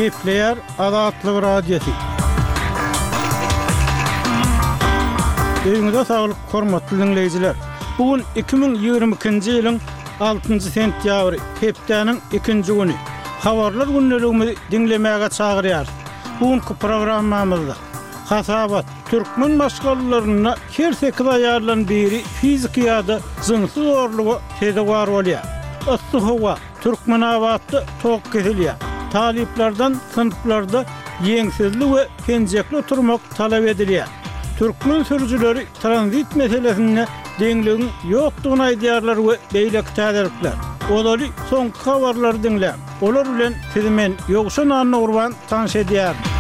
Gepleýär Azatlyk Radiosy. Öýüňize saglyk, hormatly diňleýjiler! Bu gün 2022-nji ýylyň altynjy sentýabry, hepdäniň ikinji güni. Habarlar gündeligimizi diňlemäge çagyrýarys. Bu günki programmamyzda Hasabat, Türkmen maşgalalarynda her sekiz aýaldan biri fiziki ýa-da jynsy zorluga sezewar bolýar. Yssy howa, Türkmenabatda tok kesilýär. Talyplardan synplarda ýeňsizli we penjekli oturmak talap edilýär. Türkmen sürüjileri tranzit meselesinde deňligiň ýokdugyny aýdýarlar we beýleki täzelikler. Ozaly soňky habarlary diňläň. Olar bilen sizi men, Ýowşan Annagurban tanyş edýärin.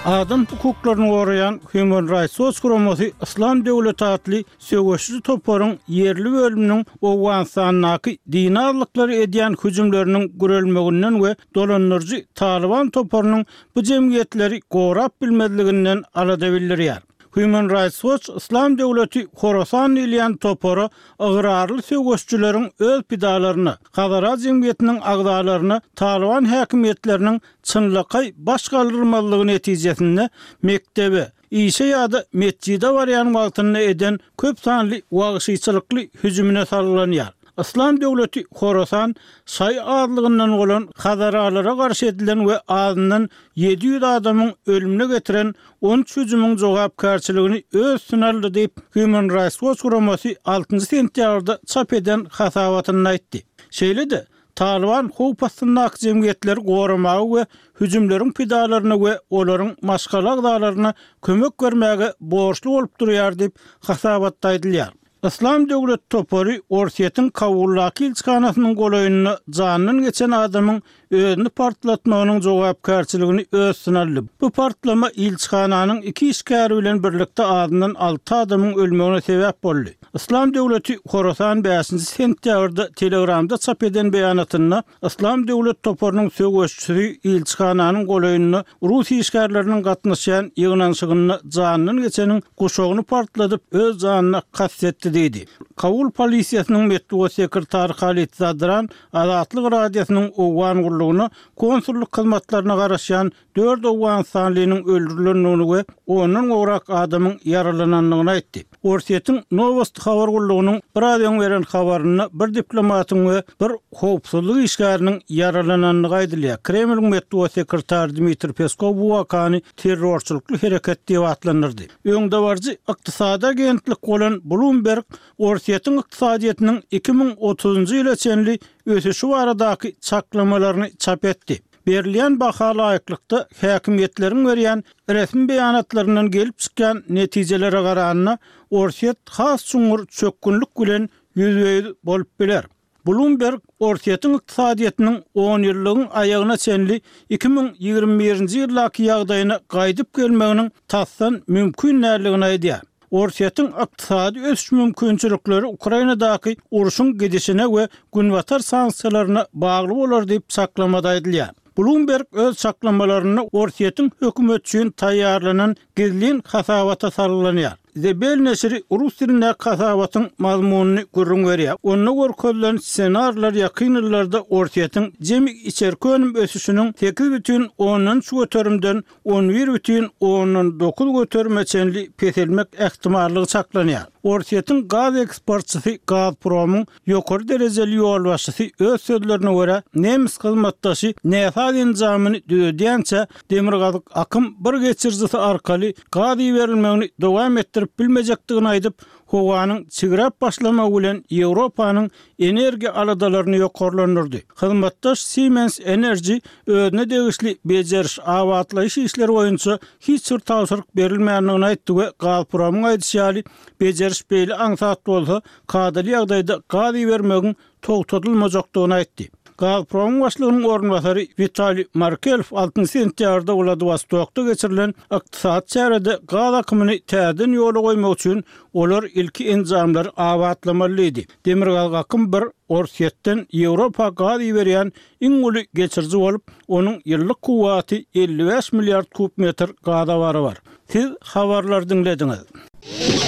Adam hukuklaryny goraýan Human Rights Watch guramasy Yslam döwleti atly söweşiji toparyň ýerli bölüminiň Owganystandaky dini azlyklara edýän hüjümleriniň gürelmeginden we dolandyryjy Talyban toparynyň bu jemgyýetleri gorap bilmezliginden alada bildirýär. Human Rights Watch Yslam döwleti Horasan diýilýän topara ygrarly söweşijileriň öz pidalaryna, Hazara jemgyýetiniň agzalaryna Talyban häkimiýetleriniň çynlakaý baş galdyrmazlygy netijesinde mekdebe, işe ýa-da metjide barýan wagtynda eden köp sanly wagşyçylykly hüjümine salgylanýar. Yslam döwleti Horasan şaýy azlygyndan bolan hazaralara garşy edilen we azyndan 700 adamyň ölümine getiren 13 hüjümiň jogapkärçiligini öz üstüne aldy diýip, Human Rights Watch guramasy altynjy sentýabrda çap eden hasabatynda aýtdy. Şeýle-de, Talyban howp astyndaky jemgyýetleri goramaga we hüjümleriň pidalaryna we olaryň maşgala agzalaryna kömek bermäge borçly bolup durýar diýip, hasabatda aýdylýar. Yslam döwleti topary Orsýetiň Kabuldaky ilçihanasynyň golaýynda janyndan geçen adamyň özüni partlatmagynyň jogapkärçiligini öz üstüne aldy. Bu partlama ilçihananyň iki işgäri bilen birlikde azyndan alty adamyň ölmegine sebäp boldy. Yslam döwleti Horasan bäşinji sentýabrda Telegramda çap eden beýanatynda Yslam döwlet toparynyň söweşçisi ilçihananyň golaýynda rus işgärleriniň gatnaşýan ýygnanyşygynda janyndan geçeniň guşagyny partladyp, öz janyna kast etdi diýdi. Kabul polisiýasynyň metbugat sekretary Halid Zadran Azatlyk Radiosynyň Owgan gullugyna konsullyk hyzmatlaryna garaşýan dört owganystanlynyň öldürilendigini we ondan gowrak adamyň ýaralanandygyny aýtdy. Orsýetiň Nowosti habar gullugynyň biraz öň beren habarynda bir diplomatyň we bir howpsuzlyk işgäriniň ýaralanandygy aýdylýar. Kremliň metbugat sekretary Dmitriý Peskow bu wakany terrorçylykly hereket diýip atlandyrdy. Öňdebaryjy ykdysady agentlik bolan Bloomberg Orsýetiň ykdysadyýetiniň 2030-njy ýyla çenli ösüşi baradaky çaklamalaryny çap etdi. Berilýän baha laýyklykda, häkimiýetleriň berýän resmi beýanatlaryndan gelip çykýan netijelere garanda, Orsýet has çuňňur çökgünlik bilen ýüzbe-ýüz bolup biler. Bloomberg Orsýetiň ykdysadyýetiniň onýyllygyň aýagyna çenli 2021-nji ýyldaky ýagdaýyna gaýdyp gelmeginiň tasdan mümkin däldigini aýdýar. Orsýetiň ykdysady ösüş mümkinçilikleri Ukrainadaky urşuň gidişine we Günbatar sanksiýalaryna bagly bolar diýip, çaklamada aýdylýar. Bloomberg öz çaklamalarynda Orsýetiň hökümeti üçin taýýarlanan gizlin hasabata salgylanýar. The Bell neşiri rus dilindäki hasabatyň mazmunyny gürrüň berýär. Onda görkezilen ssenariler ýakyn ýyllarda Orsýetiň jemi içerki önüm ösüşiniň 8,3 göterimden 11,9 göterime çenli peselmek ähtimallygy çaklanýar. Orsýetiň gaz eksportçysy Gazpromyň Ýokary derejeli ýolbaşçysy öz sözlerine görä, nemes hyzmatdaşy näsaz enjamyny düzedýänçä Demirgazyk akym bir geçirijisi arkaly gaz iberilmegini dowam etdirip bilmejekdigini aýdyp, howanyň çigräp başlamagy bilen Ýewropanyň energiýa aladalaryny ýokarlandyrdy. Hyzmatdaş Siemens Energy özüne degişli bejeriş-abatlaýyş işleri boýunça hiç bir tabşyryk berilmändigini aýtdy we Gazpromyň aýdyşy ýaly, bejeriş beýle aňsat bolsa, kadaly ýagdaýda gaz ibermegiň togtadylmajakdygyny aýtdy. Gazpromyň başlygynyň orunbasary Witaliý Markelow altynjy sentýabrda Wladiwostokda geçirilen ykdysady çärede gaz akymyny täzeden ýola goýmak üçin olar ilki enjamlary abatlamaly diýdi. Demirgazyk akym bir Orsýetden Ýewropa gaz iberýän iň uly geçiriji bolup, onuň ýyllyk kuwwaty 55 milliard kub metr gaza barabar. Siz habarlary diňlediňiz.